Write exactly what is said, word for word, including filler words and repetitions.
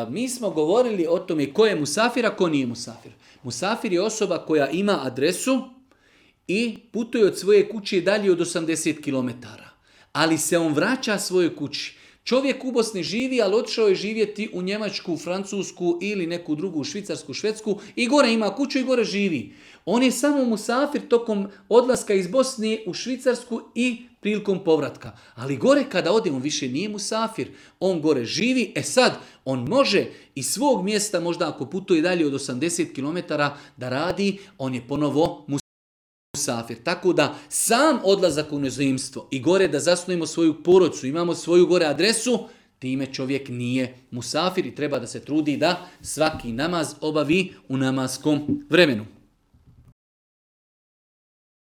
mi smo govorili o tome ko je musafir, a ko nije musafir. Musafir je osoba koja ima adresu i putuje od svoje kuće dalje od osamdeset kilometara. Ali se on vraća svojoj kući. Čovjek u Bosni živi, ali otišao je živjeti u Njemačku, Francusku ili neku drugu Švicarsku, Švedsku i gore ima kuću i gore živi. On je samo musafir tokom odlaska iz Bosne u Švicarsku i prilikom povratka. Ali gore kada ode, on više nije musafir. On gore živi. E sad, on može iz svog mjesta, možda ako putuje dalje od osamdeset kilometara da radi, on je ponovo musafir. Tako da sam odlazak u inozemstvo i gore da zasnujemo svoju porodicu, imamo svoju gore adresu, time čovjek nije musafir i treba da se trudi da svaki namaz obavi u namaskom vremenu.